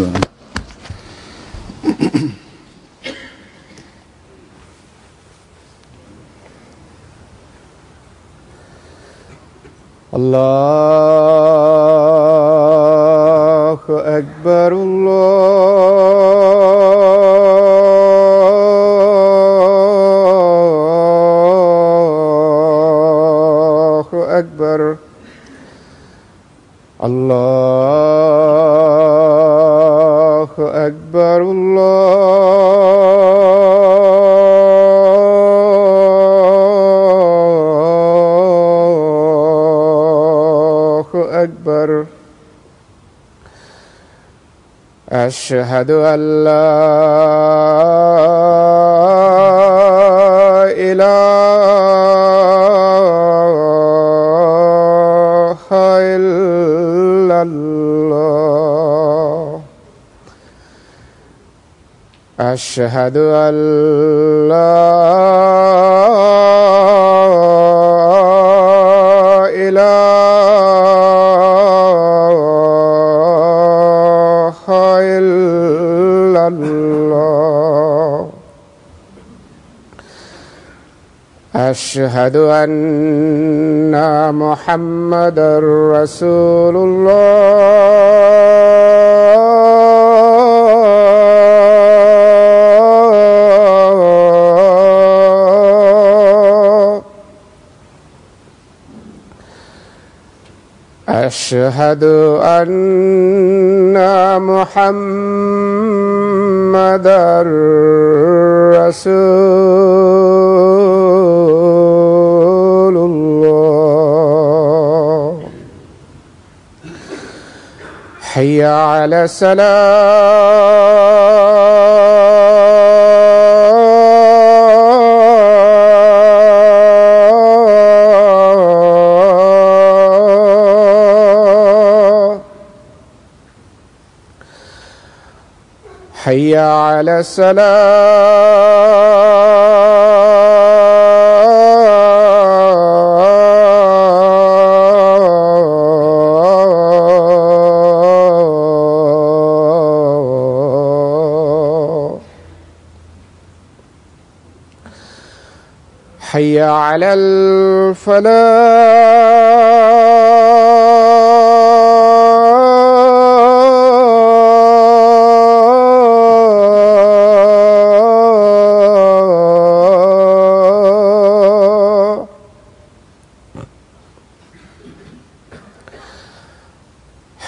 Allahu Ekber, Allahu Ekber, Allahu Ekber, أكبر. أشهد أن لا إله إلا الله. أشهد أن لا أشهد أن محمدًا رسول الله. أشهد أن محمدًا رسول الله. حي على الصلاة. حي على الصلاة. حي على الفلاح.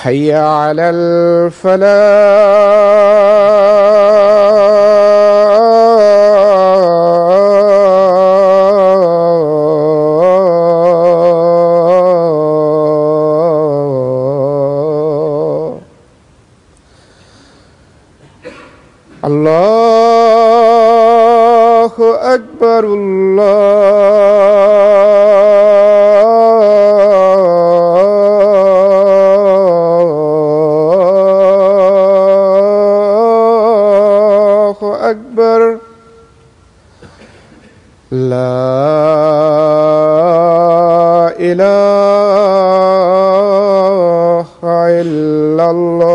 حي على الفلاح. الله أكبر، الله أكبر. لا إله إلا الله.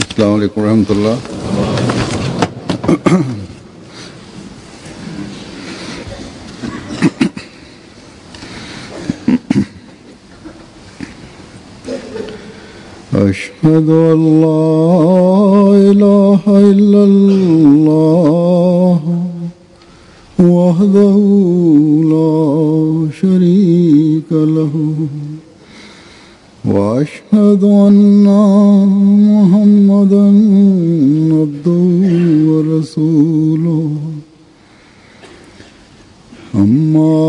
अस्सलामु अलैकुम रहमतुल्लाह। أشهد أن لا إله إلا الله وحده لا شريك له وأشهد أن محمدًا عبده ورسوله. أما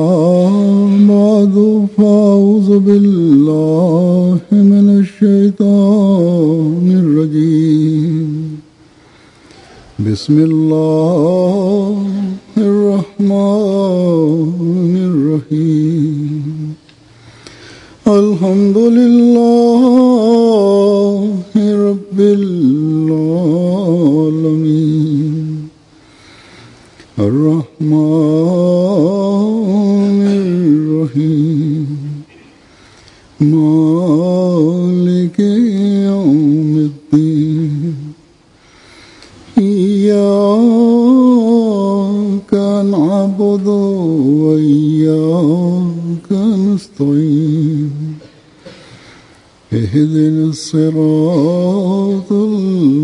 بعد فأعوذ بالله من الشيطان الرجيم. بسم الله الرحمن الرحيم. الحمد لله رب العالمين الرحمن الرحيم مالك يوم الدين إياك نعبد وإياك نستعين اهدنا الصراط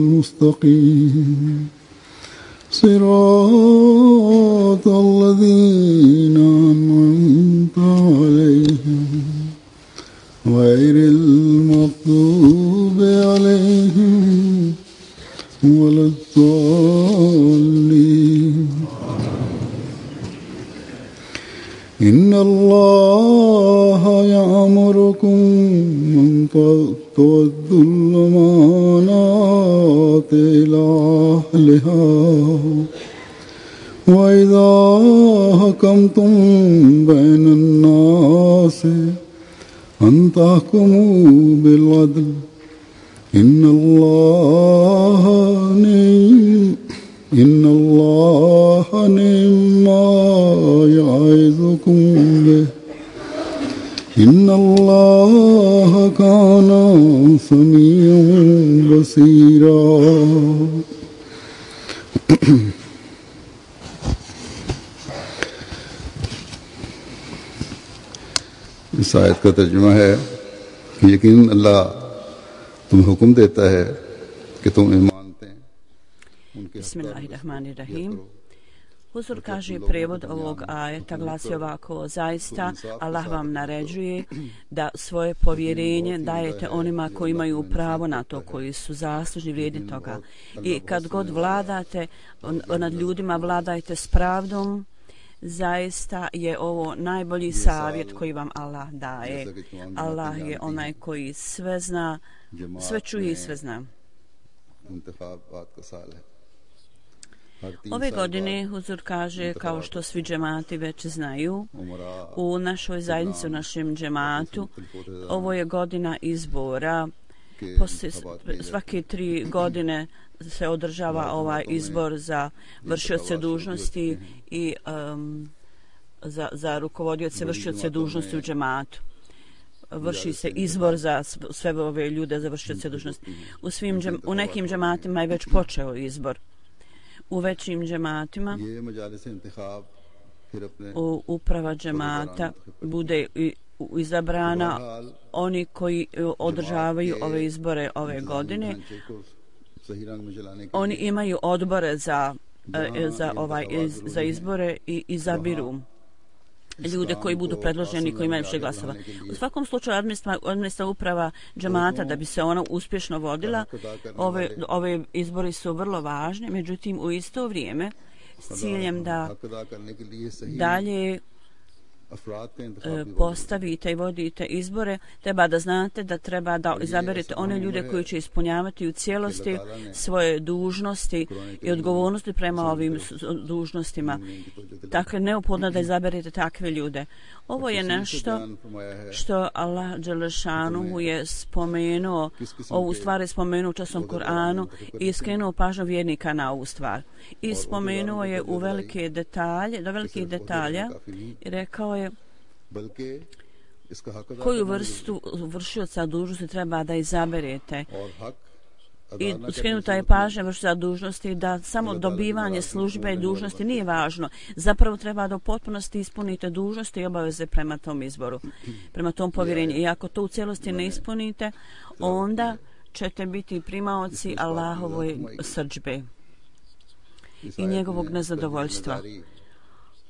المستقيم صراط الذين أنعمت عليهم غير المغضوب عليهم ولا الضالين إن الله يأمركم أن تؤدوا الأمانات إلى أهلها وإذا حكمتم بين الناس أن تحكموا بالعدل إن الله نعم ما يعظكم به إن الله كان سميعا بصيرا इस आयत का तर्जुमा है कि यकीन अल्लाह तुम्हें हुक्म देता है कि तुम ईमानते हैं उनके Bismillahirrahmanirrahim. Huzur kaže, prijevod ovog ajeta glasi ovako: zaista Allah vam naređuje da svoje povjerenje dajete onima koji imaju pravo na to, koji su zaslužni vrijedni toga. I kad god vladate nad ljudima, vladajte s pravdom. Zaista je ovo najbolji savjet koji vam Allah daje. Allah je onaj koji sve zna, sve čuje i sve zna. Ove godine, Huzur kaže, kao što svi džemati već znaju, u našoj zajednici, u našem džematu, ovo je godina izbora. Svake 3 godine se održava ovaj izbor za vršioce dužnosti i za rukovodioce vršioce dužnosti u džematu. Vrši se izbor za sve ove ljude za vršioce dužnosti. U nekim džematima je već počeo izbor. U većim džematima uprava džemata bude izabrana oni koji održavaju ove izbore ove godine. Oni imaju odbore za izbore i izabiru ljude koji budu predloženi, koji imaju više glasova. U svakom slučaju administrativna uprava džemata, da bi se ona uspješno vodila, ove izbori su vrlo važni, međutim u isto vrijeme s ciljem da dalje postavite i vodite izbore, treba da znate da treba da izaberete one ljude koji će ispunjavati u cijelosti svoje dužnosti i odgovornosti prema ovim dužnostima. Dakle, neophodno da izaberete takve ljude. Ovo je nešto što Allah Đelešanuhu je spomenuo, ovu stvar je spomenuo u časnom Kur'anu i skrenuo pažnju vjernika na ovu stvar. I spomenuo je u velike detalje, do velikih detalja i rekao je koju vrstu vršioca dužnosti treba da izaberete. I skrenuta je pažnja vršioca dužnosti da samo dobivanje službe i dužnosti nije važno. Zapravo treba da u potpunosti ispunite dužnosti i obaveze prema tom izboru, prema tom povjerenju. I ako to u cijelosti ne ispunite, onda ćete biti primaoci Allahovoj srdžbe i njegovog nezadovoljstva.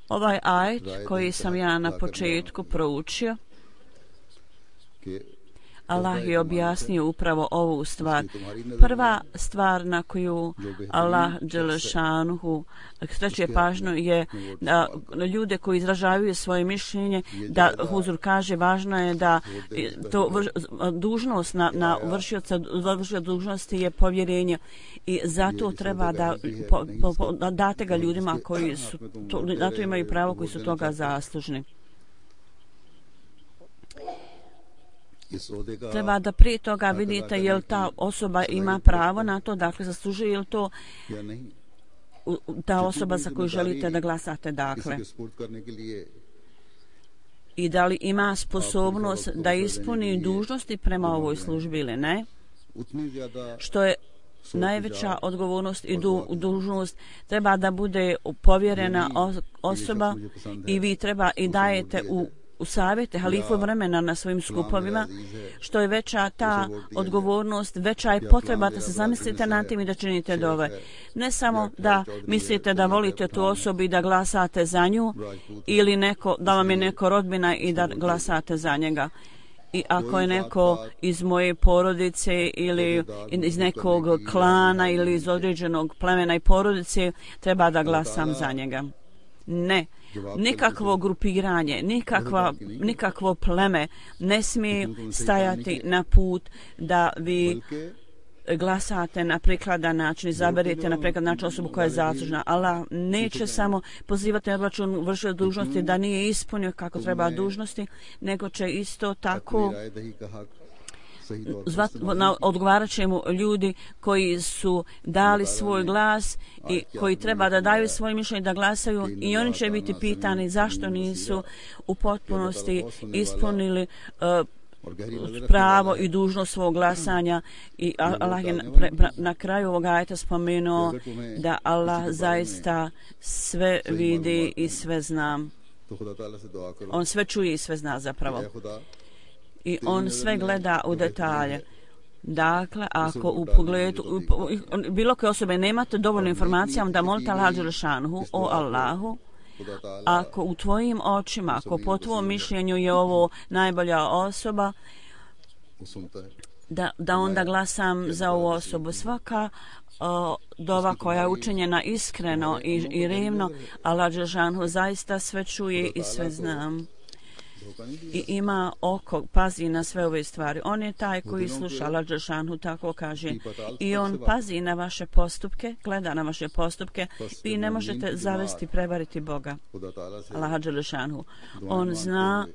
Ovaj ajet koji sam ja na početku proučio, Allah je objasnio upravo ovu stvar. Prva stvar na koju Allah Đelešanuhu skreće pažnju je da ljude koji izražavaju svoje mišljenje, da Huzur kaže važno je da to dužnost na vršioca dužnosti je povjerenje i zato treba da date ga ljudima koji su na to imaju pravo, koji su toga zaslužni. इस ओहदे का treba da prije toga vidite je li ta osoba ima pravo na to, dakle zaslužuje je li to या नहीं, ta osoba za koju želite da glasate, किसी dakle. के सपोर्ट करने के लिए I da li ima sposobnost da ispuni dužnosti prema ovoj službi ili ne, उतनी ज्यादा što je najveća odgovornost i dužnost, treba da bude povjerena osoba i vi treba i dajete u savjete halifu vremena na svojim skupovima. Što je veća ta odgovornost, veća je potreba da se zamislite nad tim i da činite dove. Ne samo da mislite da volite tu osobu i da glasate za nju, ili da vam je neko rodbina i da glasate za njega. I ako je neko iz moje porodice ili iz nekog klana ili iz određenog plemena i porodice, treba da glasam za njega. Ne, nikakvo grupiranje, nikakvo pleme ne smije stajati na put da vi glasate na prikladan način, izaberete na prikladan način osobu koja je zaslužna. Allah neće samo pozivati na obračun vršioca dužnosti da nije ispunio kako treba dužnosti, nego će isto tako odgovarat će mu ljudi koji su dali svoj glas i koji treba da daju svoje mišljenje da glasaju, i oni će biti pitani zašto nisu u potpunosti ispunili pravo i dužnost svog glasanja. I Allah je na kraju ovog ajeta spomenuo da Allah zaista sve vidi i sve zna. On sve čuje i sve zna zapravo. I on sve gleda u detalje. Dakle, ako u pogledu bilo koje osobe nemate dovoljno informacija, onda molite Allah dželešanhu, o Allahu, ako u tvojim očima, ako po tvojom mišljenju je ovo najbolja osoba, da onda glasam za ovu osobu. Svaka dova koja je učinjena iskreno i revno, Allah dželešanhu zaista sve čuje i sve zna. I ima oko, pazi na sve ove stvari. On je taj koji sluša, Allah dželešanhu tako kaže. I on pazi na vaše postupke, gleda na vaše postupke. Vi ne možete zavesti, prevariti Boga, Allah dželešanhu. On zna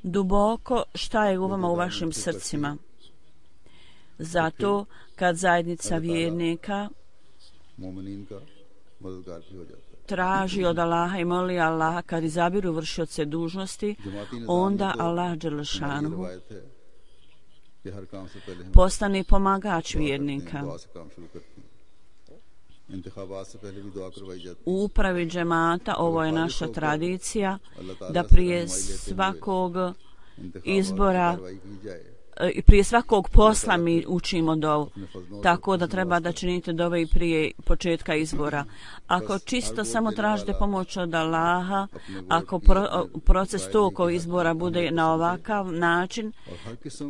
duboko šta je u vama, u vašim srcima. Zato kad zajednica vjernika traži od Allaha i moli Allaha kad izabiru vršioce dužnosti, onda Allah dželešanhu postane pomagač vjernika. U upravi džemata ovo je naša tradicija da prije svakog izbora i prije svakog posla mi učimo dovu, tako da treba da činite dove i prije početka izbora. Ako čisto samo tražite pomoć od Allaha, ako proces tog izbora bude na ovakav način,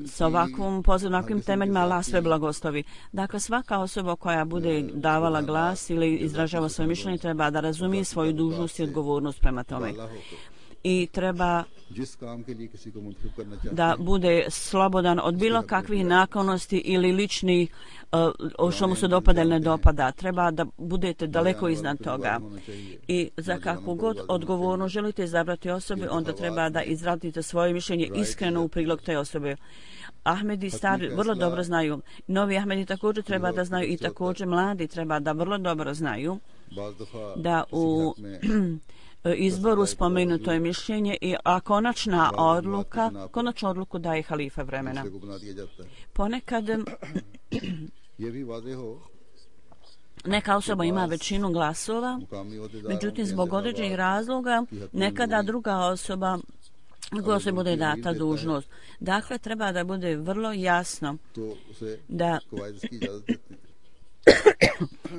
sa ovakvim temeljima, Allah sve blagoslovi. Dakle, svaka osoba koja bude davala glas ili izražava svoje mišljenje treba da razumije svoju dužnost i odgovornost prema tome. I treba da bude slobodan od bilo kakvih naklonosti ili ličnih što mu se dopada ili ne dopada. Treba da budete daleko iznad toga. I za kakvu god odgovorno želite izabrati osobe, onda treba da izradite svoje mišljenje iskreno u prilog te osobe. Ahmedi stari vrlo dobro znaju. Novi Ahmedi također treba da znaju i također mladi treba da vrlo dobro znaju da u izboru spomenuto je mišljenje a konačnu odluku daje halifa vremena. Ponekad neka osoba ima većinu glasova, međutim zbog određenih razloga nekada druga osoba koja se bude data dužnost. Dakle, treba da bude vrlo jasno da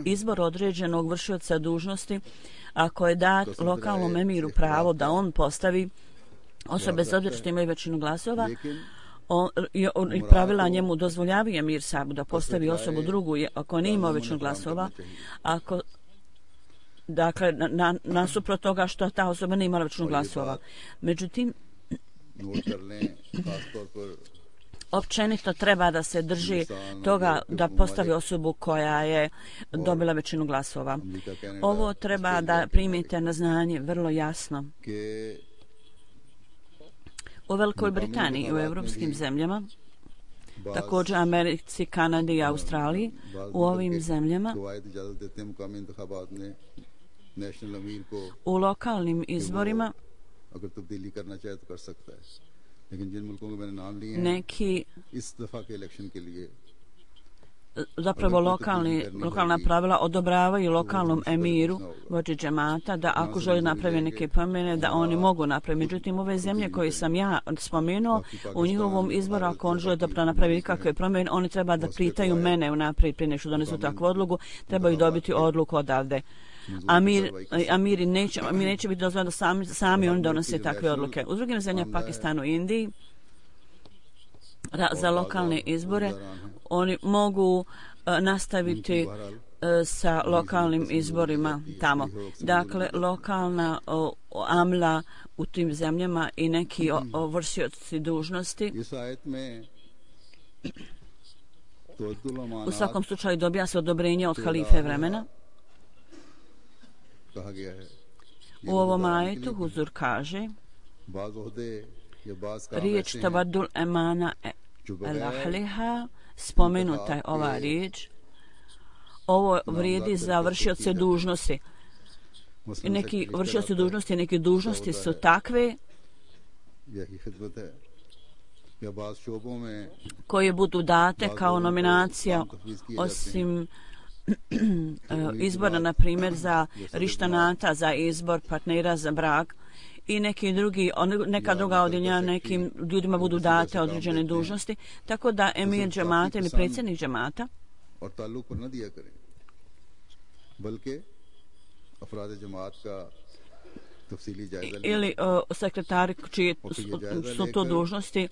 izbor određenog vršioca dužnosti, ako je dat lokalnom emiru pravo da on postavi osobe bez obzira što imaju većinu glasova, i pravila njemu dozvoljavaju emir sabu da postavi osobu drugu ako nije imao većinu glasova, dakle nasuprot toga što ta osoba nije imala većinu glasova. Međutim, općenito treba da se drži toga da postavi osobu koja je dobila većinu glasova. Ovo treba da primite na znanje vrlo jasno. U Velikoj Britaniji i u evropskim zemljama također Americi, Kanadi i Australiji. U ovim zemljama u lokalnim izborima neki zapravo lokalna pravila odobravaju lokalnom emiru vođi džemata da ako želi napravi neke promjene da oni mogu napraviti. Međutim, ove zemlje koje sam ja spomenuo, u njihovom izboru ako on želi da napravi nikakve promjene, oni treba da pitaju mene unaprijed prije nešto donesu takvu odluku, trebaju dobiti odluku odavde. Amiri neće biti dozvoljeno da sami oni donose takve odluke. U drugim zemljama, Pakistanu i Indiji, za lokalne izbore oni mogu nastaviti sa lokalnim izborima tamo. Dakle, lokalna amla u tim zemljama i neki vršioci dužnosti u svakom slučaju dobija se odobrenje od halife vremena. U ovom ajetu Huzur kaže riječ tabadul emana el-ahliha, spomenuta je ova riječ. Ovo vrijedi za vršioce dužnosti. Neki vršioci dužnosti, neke dužnosti su takve koje budu date kao nominacija osim izbora, na primjer, za rištanata, za izbor partnera za brak i neka druga odjeljenja nekim ljudima budu date određene dužnosti, tako da emir džemata ili predsjednik džemata ili sekretari čije su to dužnosti,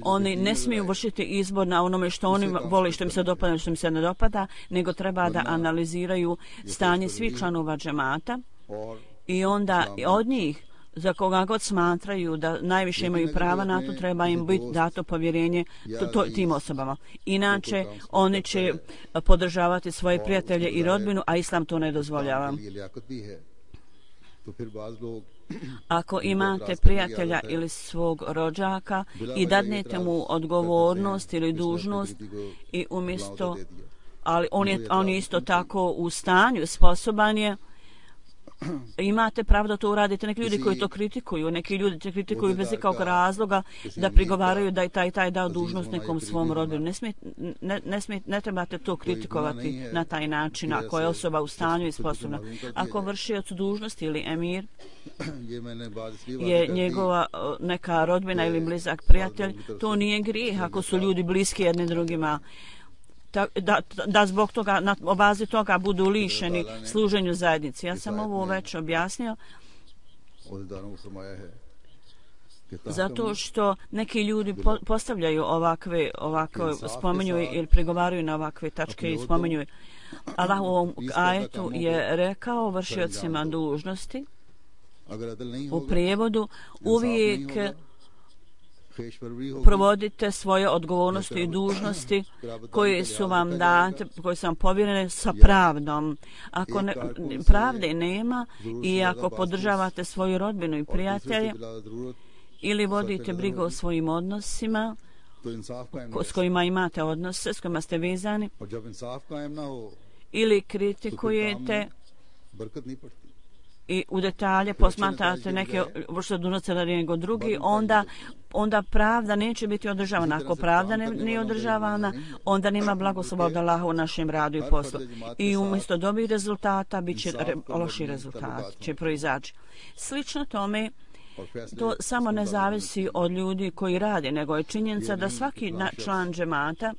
oni ne smiju vršiti izbor na onome što oni vole, što im se dopada, što im se ne dopada, nego treba da analiziraju stanje svih članova džemata i onda od njih za koga god smatraju da najviše imaju prava na to, treba im biti dato povjerenje tim osobama. Inače, oni će podržavati svoje prijatelje i rodbinu, a islam to ne dozvoljava. Ako imate prijatelja ili svog rođaka i dadnete mu odgovornost ili dužnost i umjesto, ali on je isto tako u stanju, sposoban je, imate pravo da to uradite. Neki ljudi koji to kritikuju, neki ljudi te kritikuju bez ikakvog razloga da prigovaraju da je taj dao dužnost nekom svom rodbinu. Ne trebate to kritikovati na taj način ako je osoba u stanju i sposobna. Ako vršioc dužnosti ili emir je njegova neka rodbina ili blizak prijatelj, to nije grijeh ako su ljudi bliski jedni drugima. Da zbog toga, na bazi toga budu lišeni služenju zajednici. Ja sam ovo već objasnio. Zato što neki ljudi postavljaju ovakve spominju ili pregovaraju na ovakve tačke i spominju. Allah u ovom ajetu je rekao vršiocima dužnosti u prijevodu uvijek provodite svoje odgovornosti i dužnosti koje su vam date, koje su vam povjerene sa pravdom. Ako pravde nema i ako podržavate svoju rodbinu i prijatelje ili vodite brigu o svojim odnosima s kojima imate odnose, s kojima ste vezani, ili kritikujete i u detalje posmatrate neke vrste dužnosti nego drugi, onda pravda neće biti održavana. Ako pravda nije održavana, onda nema blagoslova od Allaha u našem radu i poslu. I umjesto dobrih rezultata bit će loši rezultati, će proizaći. Slično tome, to samo ne zavisi od ljudi koji rade, nego je činjenica da svaki član džemata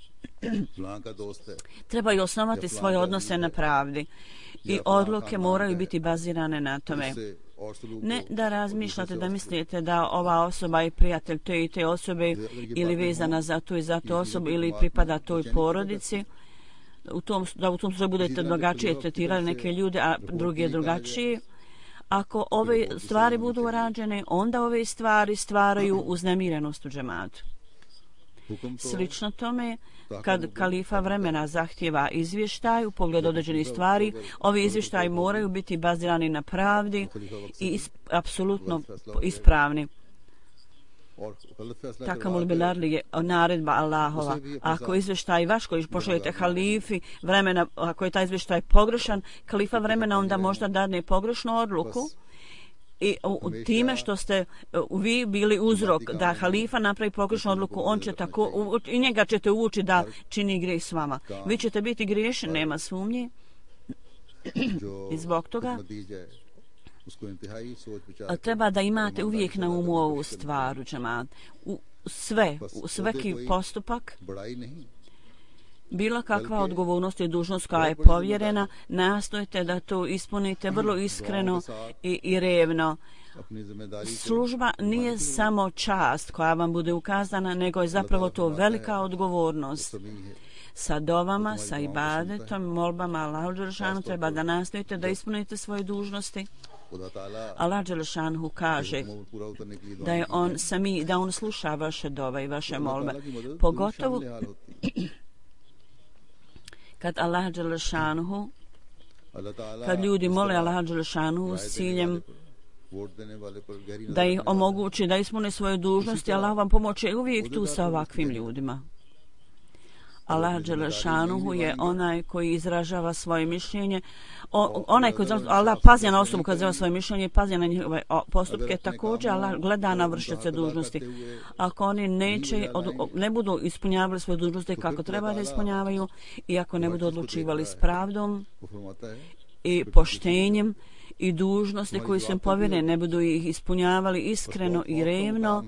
trebaju osnovati svoje odnose na pravdi i odluke moraju biti bazirane na tome. Ne da razmišljate, da mislite da ova osoba je prijatelj te i te osobe ili vezana za tu i za tu osobu ili pripada toj porodici, da u tom slučaju budete drugačije tretirali neke ljude, a drugi je drugačiji. Ako ove stvari budu rađene, onda ove stvari stvaraju uznemirenost u džematu. Slično tome, kad kalifa vremena zahtjeva izvještaj u pogledu određenih stvari, ovi izvještaji moraju biti bazirani na pravdi i apsolutno ispravni. Takamul bilarli je naredba Allahova. Ako izvještaj vaš koji pošaljete halifi vremena, ako je taj izvještaj pogrešan, kalifa vremena onda možda dadne pogrešnu odluku i time što ste vi bili uzrok da halifa napravi pogrešnu odluku, on će tako i njega ćete uvući da čini grijeh s vama. Vi ćete biti griješni, nema sumnje. I zbog toga treba da imate uvijek na umu ovu stvar u džemat. Svaki postupak, bilo kakva odgovornost i dužnost koja je povjerena, nastojite da to ispunite vrlo iskreno i revno. Služba nije samo čast koja vam bude ukazana, nego je zapravo to velika odgovornost. Sa dovama, sa ibadetom, molbama Allahu dželešanu treba da nastojite da ispunite svoje dužnosti. Allah dželešanu kaže da je da on sluša vaše dove i vaše molbe. Pogotovo kad Allah dželešanu, kad ljudi mole Allah dželešanu s ciljem da ih omogući da ispune svoje dužnosti, Allah vam pomoće uvijek tu sa ovakvim ljudima. Allah dželešanuhu je onaj koji izražava svoje mišljenje. Onaj koji Allah pazi na osobu koja izražava svoje mišljenje, pazi na njihove postupke. Također Allah gleda na vršioce dužnosti. Ako oni ne budu ispunjavali svoje dužnosti kako treba da ispunjavaju i ako ne budu odlučivali s pravdom i poštenjem i dužnosti koji su im povjerene, ne budu ih ispunjavali iskreno i revno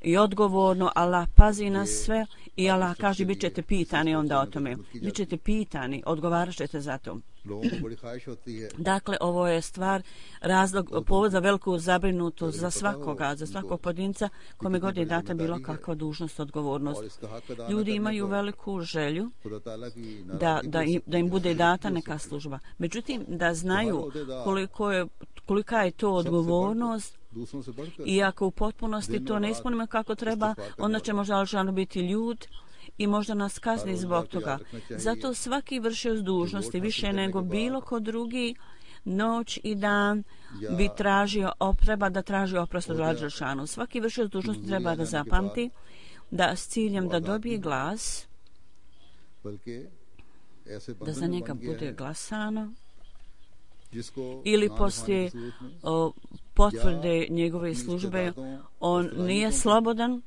i odgovorno, Allah pazi na sve i Allah kaže bit ćete pitani onda o tome. Bit ćete pitani, odgovarat ćete za to. Dakle, ovo je stvar, povod za veliku zabrinutost za svakoga, za svakog pojedinca kome god je data bilo kakva dužnost, odgovornost. Ljudi imaju veliku želju da im bude data neka služba. Međutim, da znaju kolika je to odgovornost, i ako u potpunosti to ne ispunimo kako treba, onda će možda Alžano biti ljud i možda nas kazni zbog toga. Zato svaki vršioc dužnosti više nego bilo ko drugi noć i dan bi treba da traži oprost od Alžanu. Svaki vršioc dužnosti treba da zapamti da s ciljem da dobije glas, da za njega bude glasano, ili poslije potvrde njegove službe on nije slobodan,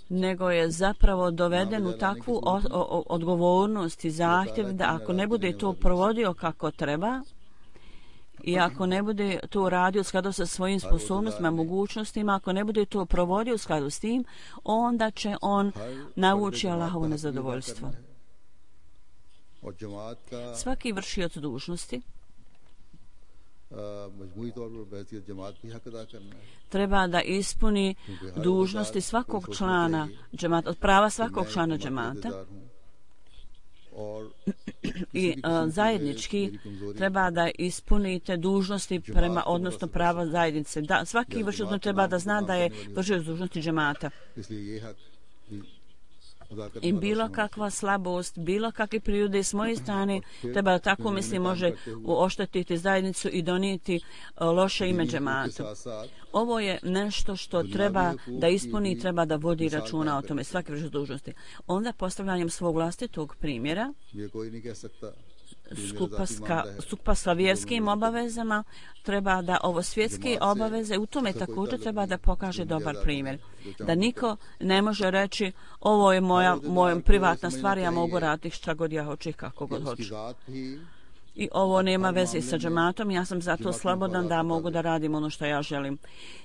nego je zapravo doveden u takvu odgovornost i zahtjev da ako ne bude to provodio kako treba i ako ne bude to radio u skladu sa svojim sposobnostima, mogućnostima, ako ne bude to provodio u skladu s tim, onda će on navući Allahovo nezadovoljstvo. Svaki vršioc dužnosti treba da ispuni dužnosti svakog člana džemata, od prava svakog člana džemata i zajednički treba da ispunite dužnosti prema, odnosno prava zajednice. Svaki vršioc treba da zna da je vršioc dužnosti džemata. I bilo kakva slabost, bilo kakve prirode s moje strane, treba da tako misli može oštetiti zajednicu i donijeti loše ime džematu. Ovo je nešto što treba da ispuni i treba da vodi računa o tome svaki vršioc dužnosti. Onda postavljanjem svog vlastitog primjera, skupa sa vjerskim obavezama, treba da ovo svjetske obaveze, u tome također treba da pokaže dobar primjer. Da niko ne može reći ovo je moja privatna stvar, ja mogu raditi šta god ja hoću i kako god hoću. I ovo nema veze sa džematom, ja sam zato slobodan da mogu da radim ono što ja želim.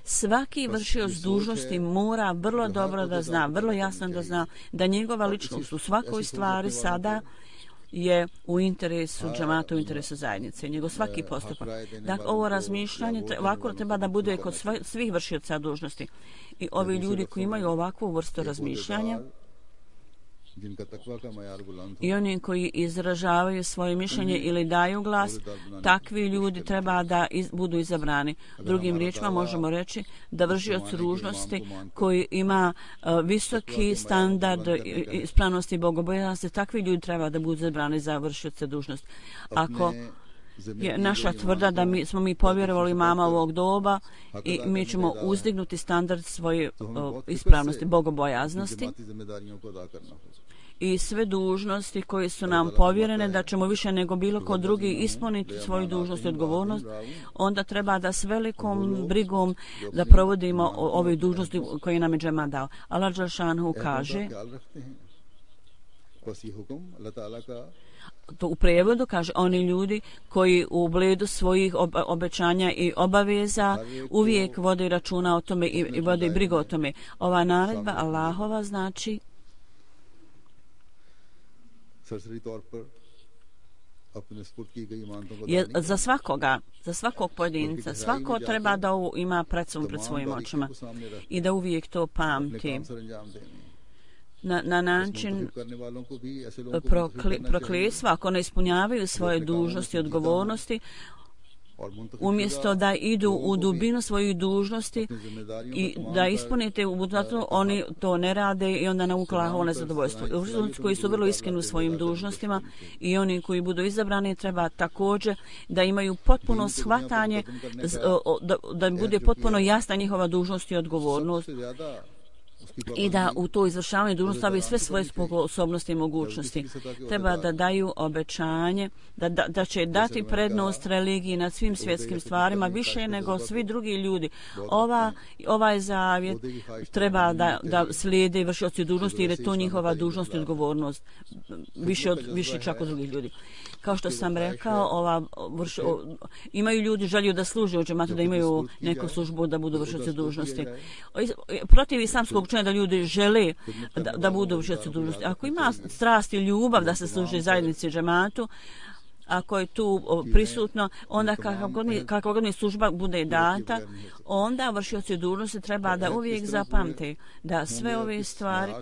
Svaki vršioc dužnosti mora vrlo dobro da zna, vrlo jasno da zna da njegova ličnost u svakoj stvari sada je u interesu džemata, u interesu zajednice, njegov svaki postupak. Dakle, ovo razmišljanje ovako treba da bude kod svih vršioca dužnosti. I ovi ljudi koji imaju ovakvu vrstu razmišljanja i oni koji izražavaju svoje mišljenje ili daju glas, takvi ljudi treba da budu izabrani. Drugim riječima možemo reći da vršioc dužnosti koji ima visoki standard ispravnosti i bogobojaznosti, takvi ljudi treba da budu izabrani za vršioce dužnosti. Ako je naša tvrda da smo mi povjerovali mama ovog doba i mi ćemo uzdignuti standard svoje ispravnosti, bogobojaznosti i sve dužnosti koje su nam povjerene, da ćemo više nego bilo ko drugi ispuniti svoju dužnost i odgovornost, onda treba da s velikom brigom da provodimo ove dužnosti koje nam je džema dao. Allah dželšanhu kaže, to u prijevodu kaže, oni ljudi koji u ugledu svojih obećanja i obaveza uvijek vode računa o tome i vode brigu o tome. Ova naredba Allahova znači je za svakoga, za svakog pojedinca, svako treba da ovo ima pred svojim očima i da uvijek to pamti. Na način prokletstva, ako ne ispunjavaju svoje dužnosti i odgovornosti, umjesto da idu u dubinu svojih dužnosti i da ispunite zato oni to ne rade i onda navuku Allahovo nezadovoljstvo. Koji su vrlo iskreni u svojim dužnostima i oni koji budu izabrani treba također da imaju potpuno shvatanje, da bude potpuno jasna njihova dužnost i odgovornost i da u to izvršavanje dužnosti stavi sve svoje sposobnosti i mogućnosti. Treba da daju obećanje da će dati prednost religiji nad svim svjetskim stvarima više nego svi drugi ljudi. Ovaj zavjet treba da slijede vršioci dužnosti jer je to njihova dužnost i odgovornost više čak od drugih ljudi. Kao što sam rekao, imaju ljudi želju da služe u džematu, da imaju neku službu, da budu vršioci dužnosti. Protiv islamskog učenja da ljudi žele da budu vršioci dužnosti. Ako ima strast i ljubav da se služi zajednici džematu, ako je tu prisutno, onda kakva god mi služba bude data, onda vršioci dužnosti treba da uvijek zapamte da sve ove stvari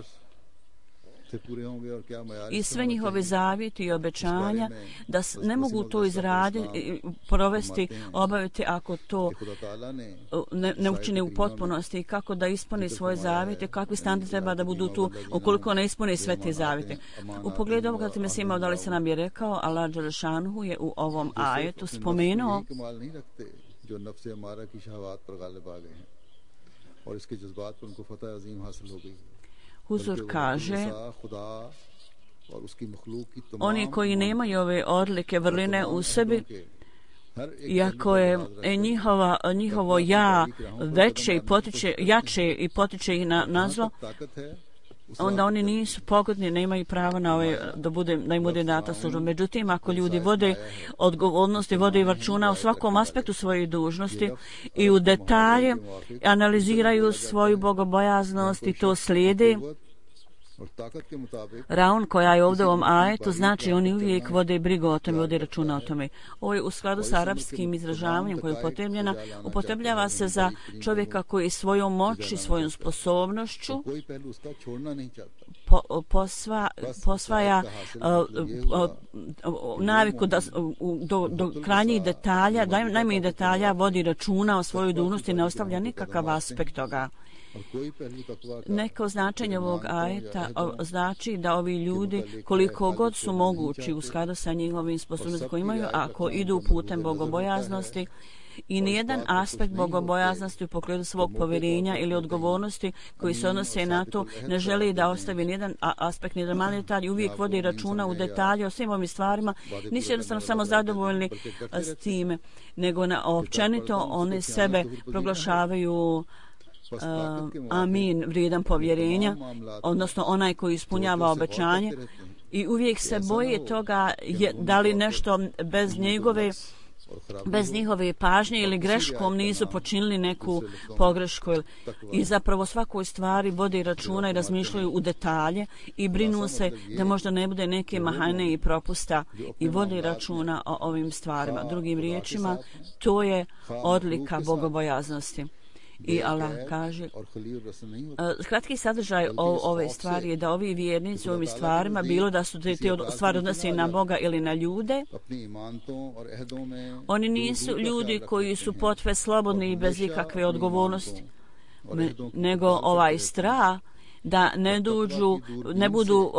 i sve njihove zavjeti i obećanja da ne mogu to izraditi, provesti, obaviti ako to ne učine u potpunosti, kako da ispuni svoje zavjete, kakvi standardi treba da budu tu ukoliko ne ispuni sve te zavjete. U pogledu ovoga ti Mesih Maud alejhi selam je rekao, Allah dželšanhu je u ovom ajetu spomenuo Huzur kaže, oni koji nemaju ove odlike vrline u sebi, iako je njihovo ja veće i jače i potiče ih na zlo, onda oni nisu pogodni, nemaju pravo na da im bude data služba. Međutim, ako ljudi vode odgovornosti, vode računa u svakom aspektu svoje dužnosti i u detalje analiziraju svoju bogobojaznost i to slijede, raun koja je ovdje u ovom ajetu, znači oni uvijek vode brigu o tome, vode računa o tome. Ovo je u skladu sa arapskim izražavanjem koje je upotrebljava se za čovjeka koji svojom moći, svojom sposobnošću posvaja naviku da do krajnjih detalja, najmanjih detalja vodi računa o svojoj dužnosti i ne ostavlja nikakav aspekt toga. Neko značenje ovog ajeta znači da ovi ljudi koliko god su mogući u skladu sa njihovim sposobnostima koje imaju, ako idu putem bogobojaznosti i nijedan aspekt bogobojaznosti u pogledu svog povjerenja ili odgovornosti koji se odnose na to ne želi da ostavi nijedan aspekt, nijedan mali detalj, uvijek vodi računa u detalje o svim ovim stvarima, nisu jednostavno samo zadovoljni s time, nego općenito one sebe proglašavaju amin, vrijedan povjerenja, odnosno onaj koji ispunjava obećanje i uvijek se boje toga da li nešto bez njihove pažnje ili greškom nisu počinili neku pogrešku i zapravo svakoj stvari vode računa i razmišljaju u detalje i brinu se da možda ne bude neke mahane i propusta i vode računa o ovim stvarima. Drugim riječima, to je odlika bogobojaznosti. I Allah kaže, kratki sadržaj ove stvari je da ovi vjernici u ovim stvarima, bilo da su te stvari odnose na Boga ili na ljude, oni nisu ljudi koji su potve slobodni i bez ikakve odgovornosti, nego ovaj strah da ne budu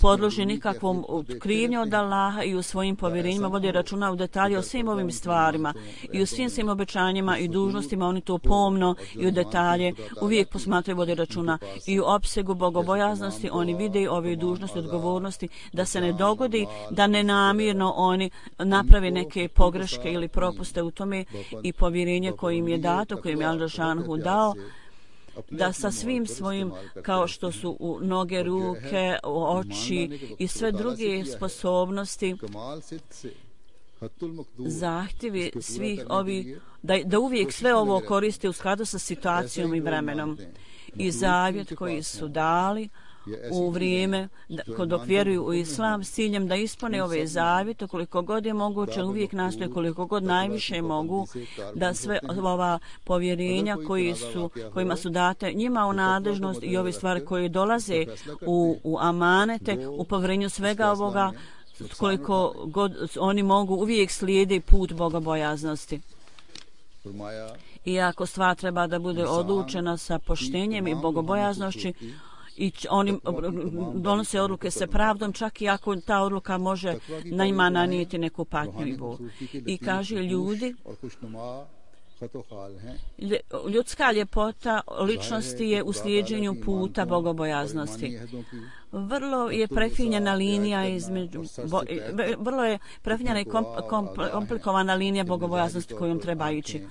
podloženi nikakvom krivnju od Allaha i u svojim povjerenjima vode računa u detalje o svim ovim stvarima i u svim svim obećanjima i dužnostima. Oni to pomno i u detalje uvijek posmatraju, vode računa i u opsegu bogobojaznosti. Oni vide ove dužnosti, odgovornosti, da se ne dogodi da nenamjerno oni naprave neke pogreške ili propuste u tome, i povjerenje koje im je dato, koje im je Al-Đelešanu dao, da sa svim svojim, kao što su u noge, ruke, oči i sve druge sposobnosti, zahtjevi svih ovih, da uvijek sve ovo koriste u skladu sa situacijom i vremenom. I zavjet koji su dali u vrijeme dok vjeruju u Islam, s ciljem da ispune ove zavjete koliko god je moguće, uvijek nastoje koliko god najviše mogu da sve ova povjerenja kojima su date njima u nadležnost i ove stvari koje dolaze u amanete, u povjerenju svega ovoga, koliko god oni mogu, uvijek slijede put bogobojaznosti. Iako stvar treba da bude odlučena sa poštenjem i bogobojaznošću, i oni donose odluke sa pravdom, čak i ako ta odluka može na njima nanijeti neku patnju i bol. I kaže, ljudska ljepota ličnosti je u slijeđenju puta bogobojaznosti. Vrlo je prefinjena linija vrlo je prefinjena i komplikovana linija bogobojaznosti kojom treba ići.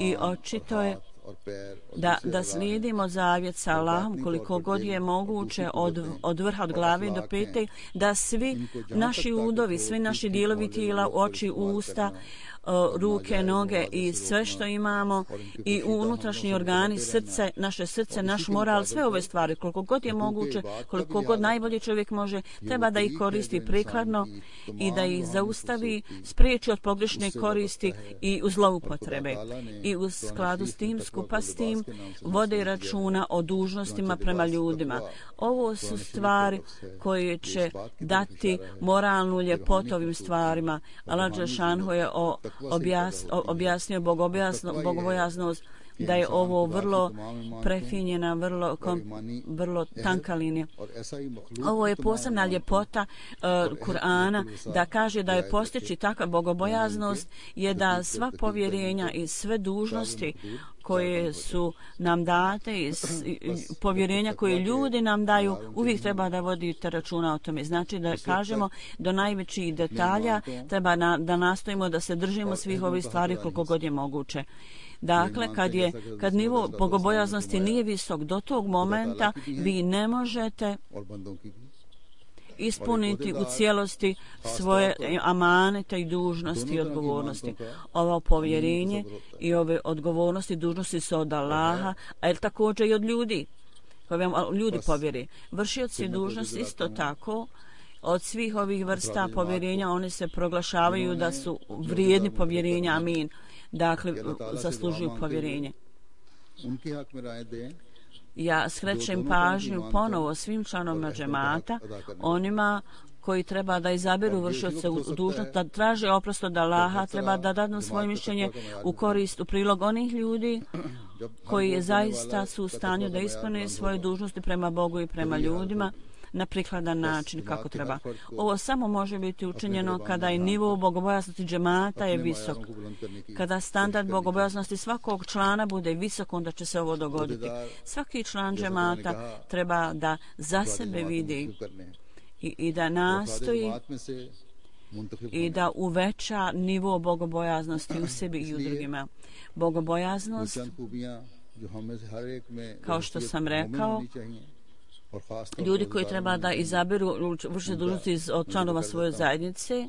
I očito je da slijedimo zavjet sa Allahom koliko god je moguće od vrha, od glave do pete, da svi naši udovi, svi naši dijelovi tijela, oči, usta, ruke, noge i sve što imamo i unutrašnji organi, srce, naš moral, sve ove stvari, koliko god je moguće, koliko god najbolje čovjek može, treba da ih koristi prikladno i da ih zaustavi, spriječi od pogrešne koristi i u zloupotrebe. I u skladu s tim, skupa s tim, vode računa o dužnostima prema ljudima. Ovo su stvari koje će dati moralnu ljepotu ovim stvarima. Allah Đelešanu je objasnio bogobojaznost, da je ovo vrlo prefinjena, vrlo tanka linija. Ovo je posebna ljepota Kur'ana, da kaže da je postići takva bogobojaznost je da sva povjerenja i sve dužnosti koje su nam date i povjerenja koje ljudi nam daju, uvijek treba da vodite računa o tome. Znači da kažemo do najvećih detalja, treba da nastojimo da se držimo svih ovih stvari koliko god je moguće. Dakle, kad nivo bogobojaznosti nije visok, do tog momenta vi ne možete ispuniti u cijelosti svoje amanete i dužnosti i odgovornosti. Ovo povjerenje i ove odgovornosti i dužnosti su od Allaha, a također i od ljudi, koje vam ljudi povjeri. Vršioci dužnosti isto tako, od svih ovih vrsta povjerenja, oni se proglašavaju da su vrijedni povjerenja, amin. Dakle, zaslužuju povjerenje. Ja skrećem pažnju ponovo svim članovima džemata, onima koji treba da izaberu vršioce dužnost, da traže oprost od Allaha, treba da dadnu svoje mišljenje u korist, u prilog onih ljudi koji zaista su u stanju da ispune svoje dužnosti prema Bogu i prema ljudima na prikladan način kako treba. Ovo samo može biti učinjeno kada je nivo bogobojaznosti džemata je visok. Kada standard bogobojaznosti svakog člana bude visok, onda će se ovo dogoditi. Svaki član džemata treba da za sebe vidi i da nastoji i da uveća nivo bogobojaznosti u sebi i u drugima. Bogobojaznost, kao što sam rekao, ljudi koji treba da izaberu vršne dužnosti od članova svoje zajednice.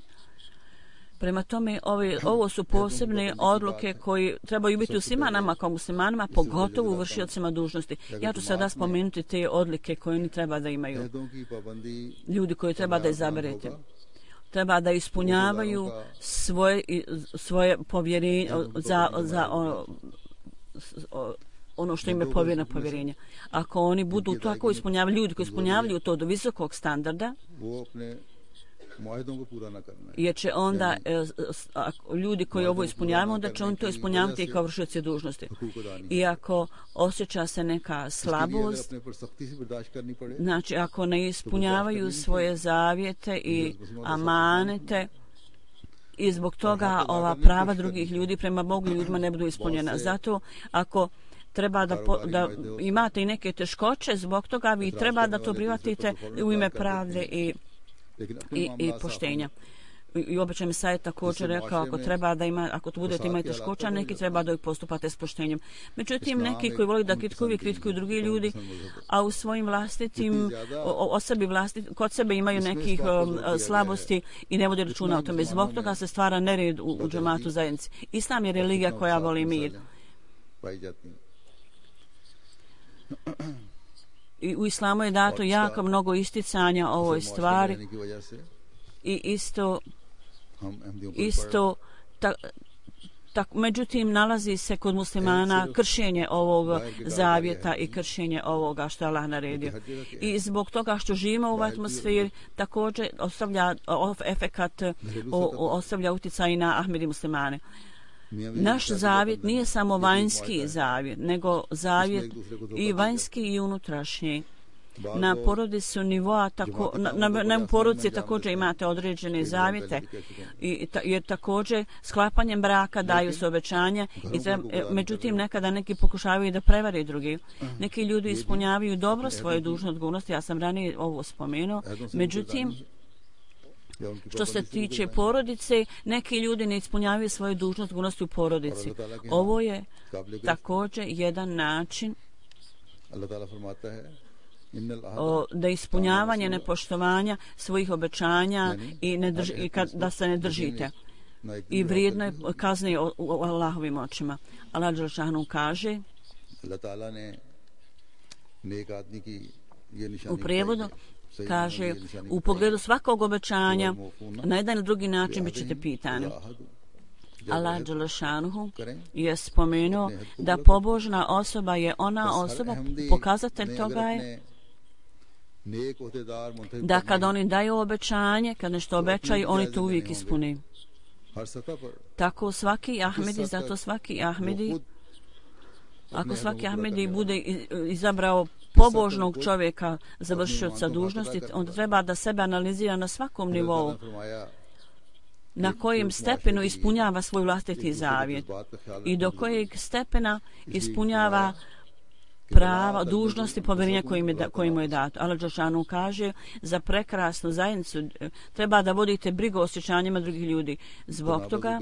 Prema tome, ovo su posebne odluke koje trebaju biti u svima nama kao muslimanima, pogotovo u vršiocima dužnosti. Ja ću sada spomenuti te odlike koje oni treba da imaju. Ljudi koji treba da izaberete. Treba da ispunjavaju svoje povjerenje za ono što im je povjereno povjerenje. Ako oni budu tako ispunjavali, ljudi koji ispunjavaju to do visokog standarda, मुआहदों को पूरा ना करना है jer će onda ljudi koji ovo ispunjavaju, onda će on to ispunjavati kao vršioci dužnosti. I ako osjeća se neka slabost, znači ako ne ispunjavaju svoje zavjete i amanete, i zbog toga ova prava drugih ljudi prema Bogu i ljudima ne budu ispunjena. Zato ako treba da imate i neke teškoće, zbog toga vi treba da to prihvatite u ime pravde i poštenja. I običaj Mesaj također rekao, ako to budete imati teškoća, neki treba da ih postupate s poštenjem. Međutim, neki koji vole da kritikuju drugi ljudi, a u svojim vlastitim, kod sebe imaju nekih slabosti i ne vode računa o tome. Zbog toga se stvara nered u džematu zajednici. Islam je religija koja voli mir. I u islamu je dato jako mnogo isticanja ovoj stvari i isto međutim nalazi se kod muslimana kršenje ovog zavjeta i kršenje ovoga što je Allah naredio. I zbog toga što živimo u ovoj atmosferi također ostavlja utjecaj na Ahmedi muslimane. Naš zavjet nije samo vanjski zavjet, nego zavjet i vanjski i unutrašnji. Na porodicu nivoa, na porodici također imate određene zavjete, jer također sklapanjem braka daju se obećanja, međutim nekada neki pokušavaju da prevare drugi. Neki ljudi ispunjavaju dobro svoje dužne odgovornosti, ja sam ranije ovo spomenuo, međutim što se tiče porodice, neki ljudi ne ispunjavaju svoje dužne odgovornosti u porodici. Ovo je također jedan način da ispunjavanje nepoštovanja svojih obećanja da se ne držite. I vrijedno je kazne u Allahovim očima. Allah dželešanu kaže u prijevodu, kaže, u pogledu svakog obećanja na jedan ili drugi način bit ćete pitani. Allah dželešanu je spomenuo da pobožna osoba je ona osoba, pokazatelj toga je da kad oni daju obećanje, kad nešto obećaju, oni to uvijek ispuni. Tako svaki Ahmedi, zato svaki Ahmedi, ako svaki Ahmedi bude izabrao pobožnog čovjeka za vršioca dužnosti, onda treba da sebe analizira na svakom nivou, na kojem stepenu ispunjava svoj vlastiti zavjet i do kojeg stepena ispunjava prava, dužnosti, povjerenja koji mu je dato. Allah dželešanu kaže, za prekrasnu zajednicu treba da vodite brigu o osjećanjima drugih ljudi. Zbog toga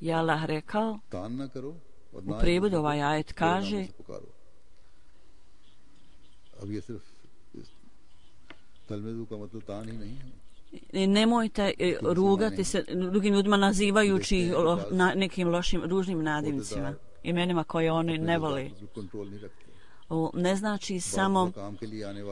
je Allah rekao, u prijevodu ovaj ajet kaže, nemojte rugati se drugim ljudima nazivajući nekim lošim, ružnim nadimcima, imenima koje oni ne vole. Ne znači samo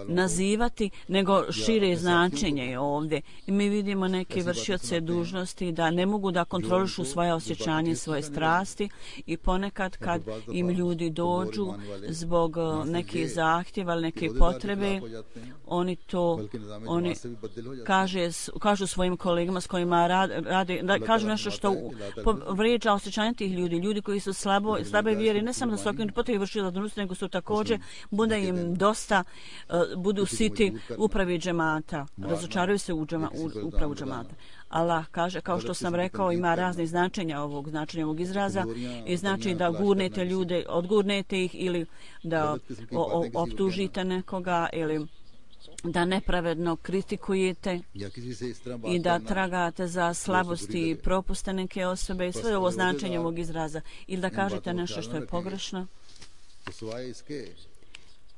nazivati, nego šire značenje je ovdje. I mi vidimo neke vršioce dužnosti da ne mogu da kontrolišu svoje osjećanje, svoje strasti i ponekad kad im ljudi dođu zbog nekih zahtjeva ili neke potrebe, oni kažu svojim kolegama s kojima rade, kažu nešto što vrijeđa osjećanje tih ljudi. Ljudi koji su slabe vjere, ne samo da su okinuti potrebi vršioca dužnosti, nego su također bude im dosta, budu siti upravi džemata, razočaraju se u upravu džemata. Allah kaže, kao što sam rekao, ima razne značenja ovog izraza i znači da gurnete ljude, odgurnete ih ili da optužite nekoga ili da nepravedno kritikujete i da tragate za slabosti i propuste neke osobe i sve ovo značenje ovog izraza ili da kažete nešto što je pogrešno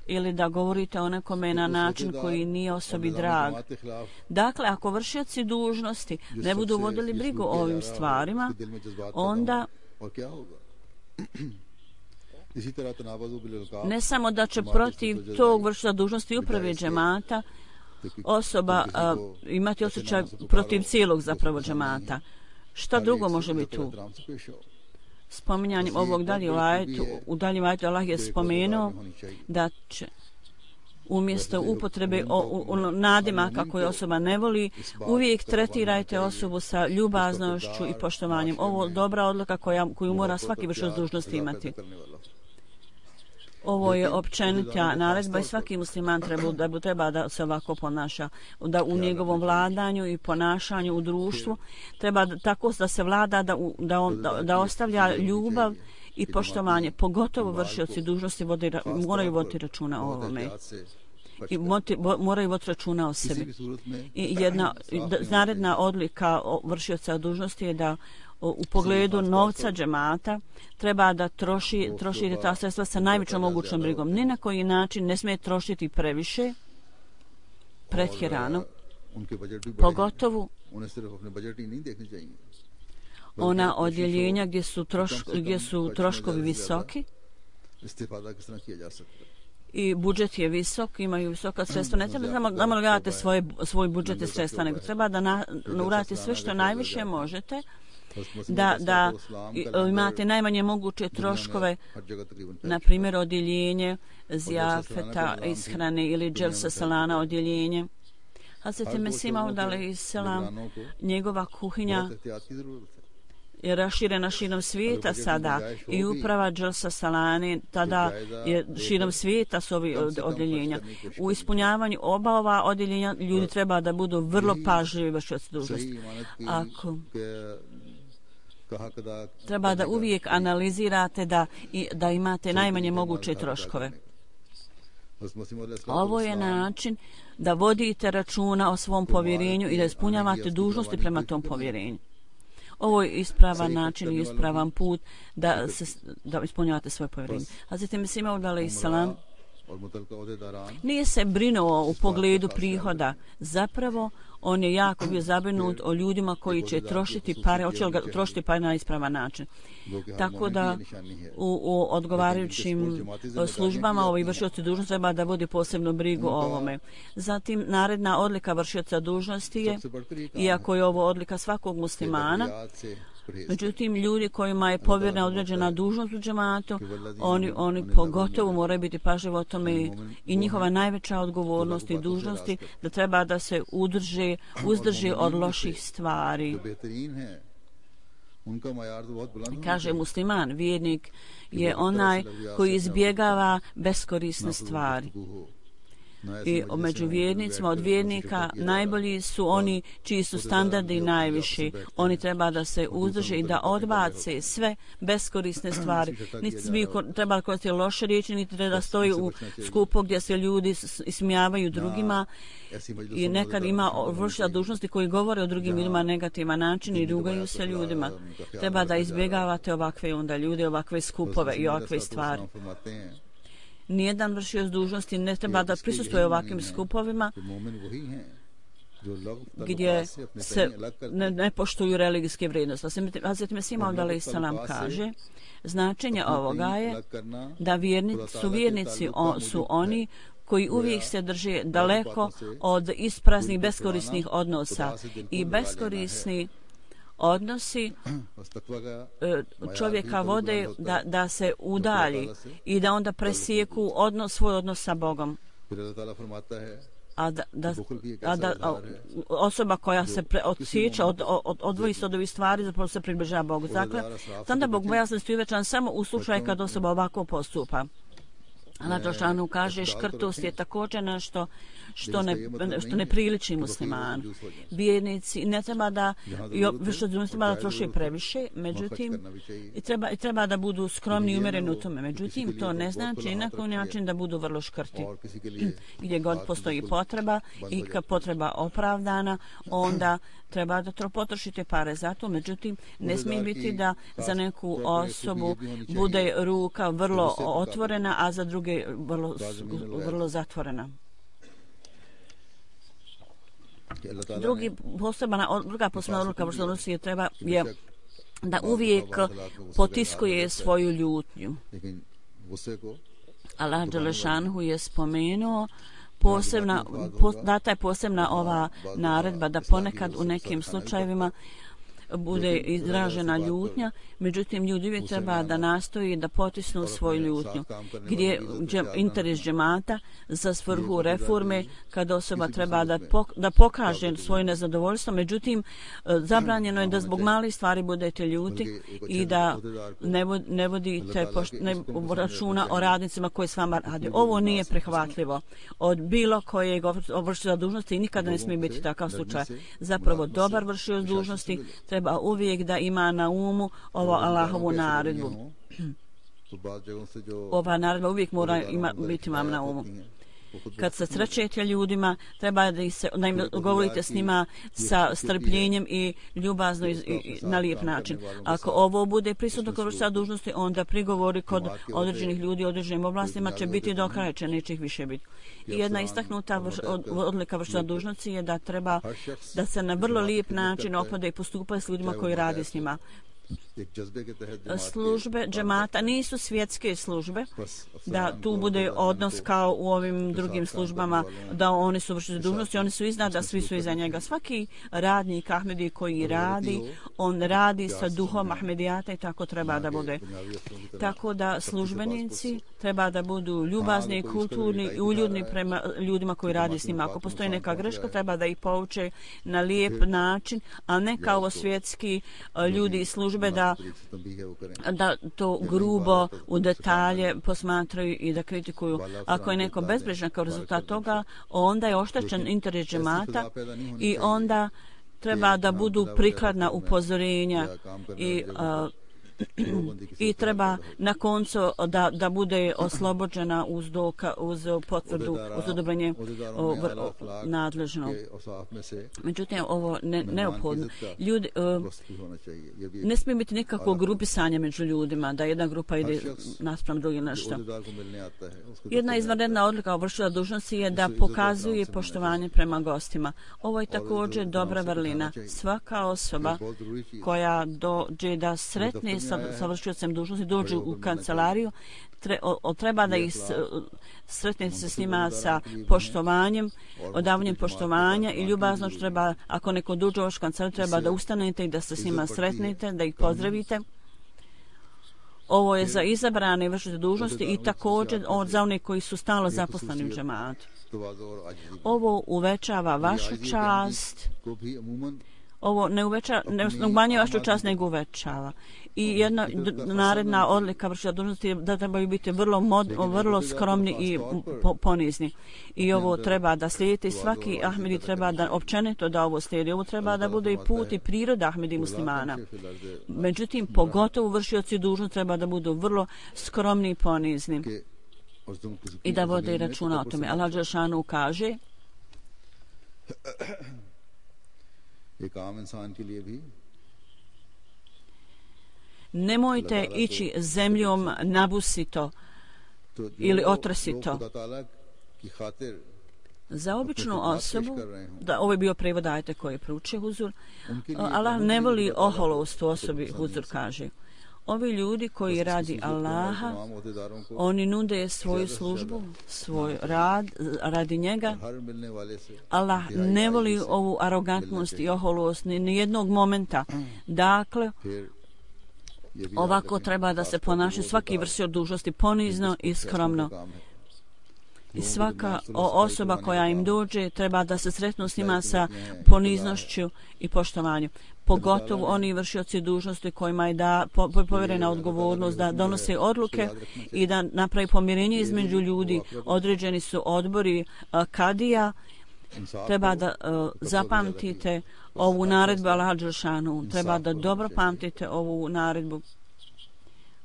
ili da govorite o nekome na način koji nije osobi drag. Dakle, ako vršioci dužnosti ne budu vodili brigu o ovim stvarima, onda ne samo da će protiv tog vršioca dužnosti uprave džemata osoba imati osjećaj protiv cijelog zapravo džemata. Šta drugo može biti tu? Spominjanjem ovog u daljem ajetu Allah je spomenuo da će umjesto upotrebe nadimaka koje osoba ne voli, uvijek tretirajte osobu sa ljubaznošću i poštovanjem. Ovo je dobra odluka koju mora svaki vršilac dužnosti imati. Ovo je općenita naredba i svaki musliman treba da se ovako ponaša, da u njegovom vladanju i ponašanju u društvu treba tako da se vlada, da ostavlja ljubav i poštovanje, pogotovo vršioci dužnosti moraju voditi računa o ovome i moraju voditi računa o sebi. I jedna naredna odlika vršioca dužnosti je da u pogledu novca džemata treba da troši ta sredstva sa najvećom mogućom brigom. Ni na koji način ne smije trošiti previše, pretjerano, pogotovo ona odjeljenja gdje su troškovi visoki i budžet je visok, imaju visoka sredstva. Ne treba samo da gledate svoj budžet i sredstva, nego treba da uradite sve što najviše možete, da imate najmanje moguće troškove, na primjer odjeljenje zjafeta, ishrane ili dželsa salana odjeljenje. Hazreti Mesih Maud alejselam, njegova kuhinja je raširena širom svijeta sada i uprava dželsa salane tada je širom svijeta s ovih odjeljenja. U ispunjavanju oba ova odjeljenja ljudi treba da budu vrlo pažljivi vršioci dužnosti. Treba da uvijek analizirate da imate najmanje moguće troškove. Ovo je način da vodite računa o svom povjerenju i da ispunjavate dužnosti prema tom povjerenju. Ovo je ispravan način i ispravan put da ispunjavate svoje povjerenje. Hazreti Mesih Maud alejselam nije se brinuo u pogledu prihoda. Zapravo, on je jako bio zabrinut o ljudima koji će trošiti pare, hoće li ga trošiti pare na ispravan način. Tako da u odgovarajućim službama ovi vršioci dužnosti treba da vodi posebnu brigu o ovome. Zatim, naredna odlika vršioca dužnosti je, iako je ovo odlika svakog muslimana, međutim, ljudi kojima je povjerena određena dužnost u džematu, oni pogotovo moraju biti pažljivi o tome i njihova najveća odgovornost i dužnosti da treba da se uzdrži od loših stvari. Kaže musliman, vjernik je onaj koji izbjegava beskorisne stvari. I među vjernicima od vjernika najbolji su oni čiji su standardi najviši. Oni treba da se uzdrže i da odbace sve beskorisne stvari. Niti bi trebali koristiti loše riječi, niti da stoji u skupu gdje se ljudi ismijavaju drugima. I nekad ima vršitelja dužnosti koji govore o drugim ljudima na negativan način i rugaju se ljudima. Treba da izbjegavate ovakve onda ljude, ovakve skupove i ovakve stvari. Nijedan vršioc dužnosti ne treba da prisustvuje ovakvim skupovima gdje se ne poštuju religijske vrijednosti. Hazreti Mesih Maud alejselam kaže, značenje ovoga je da vjernici su oni koji uvijek se drže daleko od ispraznih beskorisnih odnosa i beskorisni odnosi čovjeka vode da se udalji i da onda presijeku svoj odnos sa Bogom. A da osoba koja se odsjeća, odvoji se od ovih stvari, zapravo se približava Bogu. Dakle, onda Bog bojaznosti je uvečan samo u slučaju kad osoba ovako postupa. Allah Đelešanu kaže, škrtost je također nešto što ne priliči muslimanu. Vjernici ne treba da troše previše, međutim treba da budu skromni i umjereni u tome. Međutim, to ne znači na koji način da budu vrlo škrti. Gdje god postoji potreba i kad potreba opravdana, onda treba da potrošite pare za to. Međutim, ne smije biti da za neku osobu bude ruka vrlo otvorena, a za druge vrlo zatvorena. Druga posebna odluka vršitelja je da uvijek potiskuje svoju ljutnju. Allah Đelešanu je spomenuo data je posebna ova naredba da ponekad u nekim slučajevima bude izražena ljutnja, međutim ljudi uvijek treba da nastoji da potisnu svoju ljutnju. Gdje interes džemata za svrhu reforme, kada osoba treba da pokaže svoje nezadovoljstvo, međutim zabranjeno je da zbog malih stvari budete ljuti i da ne vodite računa o radnicima koji s vama rade. Ovo nije prihvatljivo od bilo kojeg vršioca dužnosti i nikada ne smije biti takav slučaj. Zapravo dobar vršioc dužnosti treba uvijek da ima na umu ovo Allahovu naredbu. Ova naredba uvijek mora biti vam na umu. Kad se srećete ljudima, treba da im govorite s njima sa strpljenjem i ljubazno i na lijep način. Ako ovo bude prisutno kod vršioca dužnosti, onda prigovori kod određenih ljudi u određenim oblastima će biti do kraja, neće ih više biti. I jedna istaknuta odlika vršioca dužnosti je da treba da se na vrlo lijep način ophode i postupa s ljudima koji radi s njima. Službe džemata nisu svjetske službe, da tu bude odnos kao u ovim drugim službama, da oni su vršioci dužnosti, oni su iznad, da svi su iza njega. Svaki radnik Ahmedi koji radi, on radi sa duhom Ahmedijata i tako treba da bude. Tako da službenici treba da budu ljubazni, kulturni i uljudni prema ljudima koji radi s njima. Ako postoji neka greška, treba da ih pouče na lijep način, a ne kao svjetski ljudi iz službe da to grubo u detalje posmatraju i da kritikuju. Ako je neko bezbrižan kao rezultat toga, onda je oštećen interes džemata i onda treba da budu prikladna upozorenja i treba na koncu da bude oslobođena uz potvrdu, uz odobrenje nadležnog. Međutim, ovo neophodno. Ljudi, ne smije biti nikakvo grupisanje među ljudima, da jedna grupa ide naspram drugi nešto. Jedna izvanredna odlika vršioca dužnosti je da pokazuje poštovanje prema gostima. Ovo je također dobra vrlina. Svaka osoba koja dođe da sretne sa vršiocem dužnosti, dođu u kancelariju, treba da ih sretnete se s njima sa poštovanjem, odavanjem poštovanja i ljubazno treba, ako neko dođe u vašu kancelariju, treba da ustanete i da se s njima sretnete, da ih pozdravite. Ovo je za izabrane vršioce dužnosti i također za one koji su stalno zaposleni u džematu. Ovo uvećava vašu čast. Ovo ne umanjuje vašu čast, nego uvećava. I jedna naredna odlika vršioca dužnosti je da trebaju biti vrlo skromni i ponizni. I ovo treba da slijedite. Svaki Ahmedi treba da općenito da ovo slijedi. Ovo treba da bude i put i priroda Ahmedi muslimana. Međutim, pogotovo vršioci dužnosti treba da budu vrlo skromni i ponizni. I da vode računa o tome. Allah dželešanu kaže: nemojte ići zemljom nabusito ili otresito. Za običnu osobu, ovo je bio prevod ajeta koji je proučio Huzur, Allah ne voli oholost u osobi, Huzur kaže. Ovi ljudi koji radi Allaha, oni nude svoju službu, svoj rad radi njega. Allah ne voli ovu arogantnost i oholost ni jednog momenta. Dakle, ovako treba da se ponaša svaki vršioc dužnosti ponizno i skromno. I svaka osoba koja im dođe treba da se sretnu s njima sa poniznošću i poštovanjem. Pogotovo oni vršioci dužnosti kojima je povjerena odgovornost da donose odluke i da napravi pomirenje između ljudi. Određeni su odbori kadija. Treba da zapamtite ovu naredbu Allaha dželešanu. Treba da dobro pamtite ovu naredbu.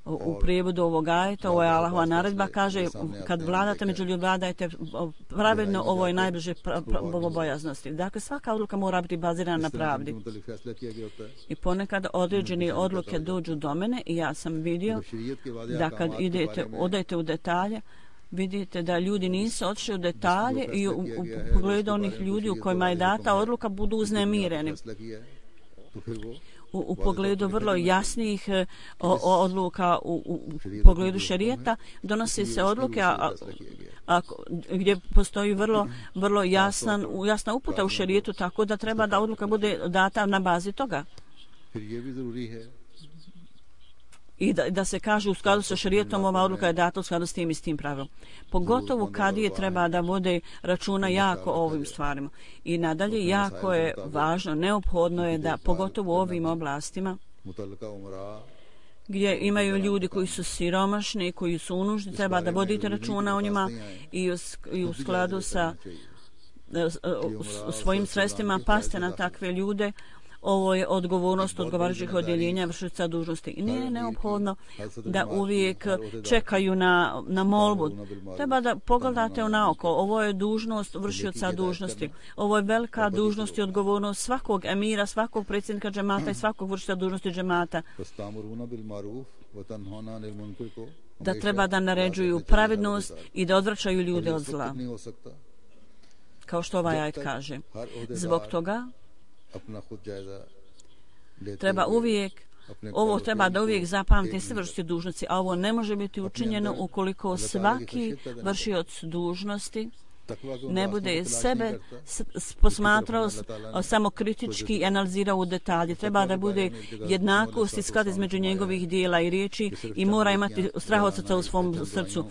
U prijevodu ovog ajeta, ovo je Allahova naredba, kaže: kad vladate među ljudima, vladajte pravedno, ovo je najbliže bogobojaznosti. Dakle, svaka odluka mora biti bazirana na pravdi. I ponekad određene odluke dođu do mene i ja sam vidio da kad odete u detalje, vidite da ljudi nisu otišli u detalje i u pogledu onih ljudi u kojima je data odluka budu uznemireni. U pogledu vrlo jasnih odluka u pogledu šerijeta donose se odluke gdje postoji vrlo jasna uputa u šerijetu, tako da treba da odluka bude data na bazi toga. फिर ये भी जरूरी है i da se kaže u skladu sa šerijetom ova odluka je data u skladu s tim i s tim pravilom. Pogotovo kadije treba da vode računa jako o ovim stvarima. I nadalje jako je važno, neophodno je da pogotovo u ovim oblastima gdje imaju ljudi koji su siromašni, koji su u nuždi, treba da vodite računa o njima i u skladu sa svojim sredstvima paste na takve ljude. Ovo je odgovornost odgovarajućih odjeljenja vršioca dužnosti. I nije neophodno da uvijek čekaju na molbu. Treba da pogledate naoko. Ovo je dužnost vršioca dužnosti. Ovo je velika dužnost i odgovornost svakog emira, svakog predsjednika džemata i svakog vršioca dužnosti džemata. Da treba da naređuju pravednost i da odvraćaju ljude od zla. Kao što ovaj ajet kaže. Zbog toga treba uvijek, ovo treba da uvijek zapamti sve vršioci dužnosti, a ovo ne može biti učinjeno ukoliko svaki vršioc dužnosti ne bude sebe posmatrao samo kritički i analizirao u detalje. Treba da bude jednakost i sklad između njegovih dijela i riječi i mora imati strah od srca u svom srcu.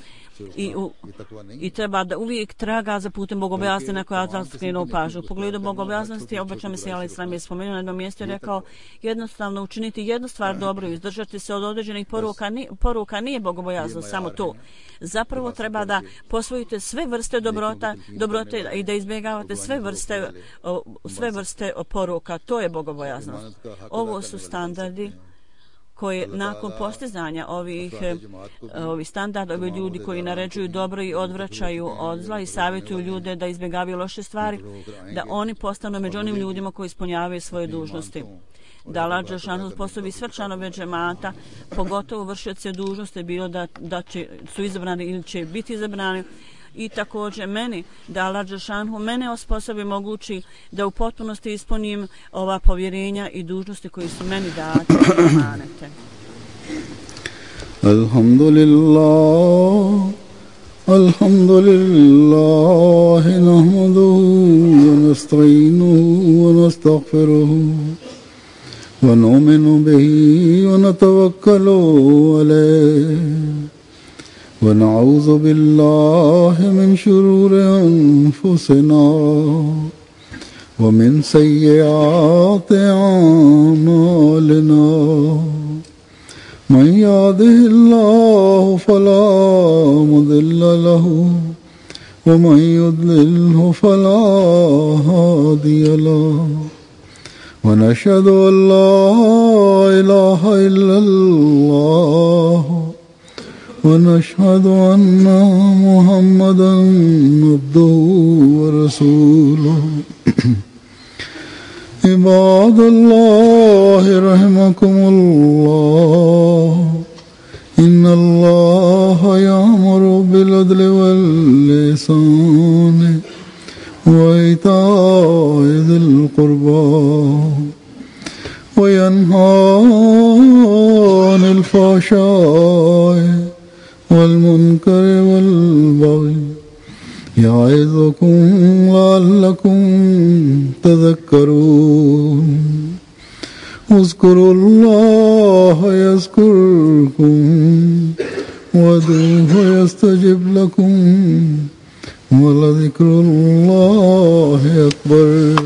I treba da uvijek traga za putem bogobojaznosti na koja je skrenuo pažnju. U pogledu bogobojaznosti, obećan Mesija alejhi selam je spomenuo na jednom mjestu i rekao jednostavno učiniti jednu stvar dobro i izdržati se od određenih poruka nije bogobojaznost, samo to. Zapravo treba da posvojite sve vrste dobrote i da izbjegavate sve vrste poruka. To je bogobojaznost. Ovo su standardi koji nakon postizanja ovih standarda, ovi ljudi koji naređuju dobro i odvraćaju od zla i savjetuju ljude da izbjegavaju loše stvari, da oni postanu među onim ljudima koji ispunjavaju svoje dužnosti. Da Allah dželešanu sposobi sve članove džemata, pogotovo vršioce dužnosti, bilo da su izabrani ili će biti izabrani, i također meni, da Allah dželešanu mene osposobi mogući da u potpunosti ispunim ova povjerenja i dužnosti koji su meni date i amanete. Alhamdulillah nahmaduhu wa nasta'inuhu wa nastaghfiruhu wa nu'minu bihi wa natawakkalu alayhi ونعوذ بالله من شرور أنفسنا ومن سيئات أعمالنا من يهده الله فلا مضل له ومن يضلله فلا هادي له ونشهد أن لا إله إلا الله ونشهد أن محمدا عبده ورسوله عباد الله رحمكم الله إن الله يأمر بالعدل والإحسان وإيتاء ذي القربى وينهى عن الفحشاء والمنكر والبغي يعظكم لعلكم تذكرون اذكروا الله يذكركم وادعوه يستجب لكم ولذكر الله أكبر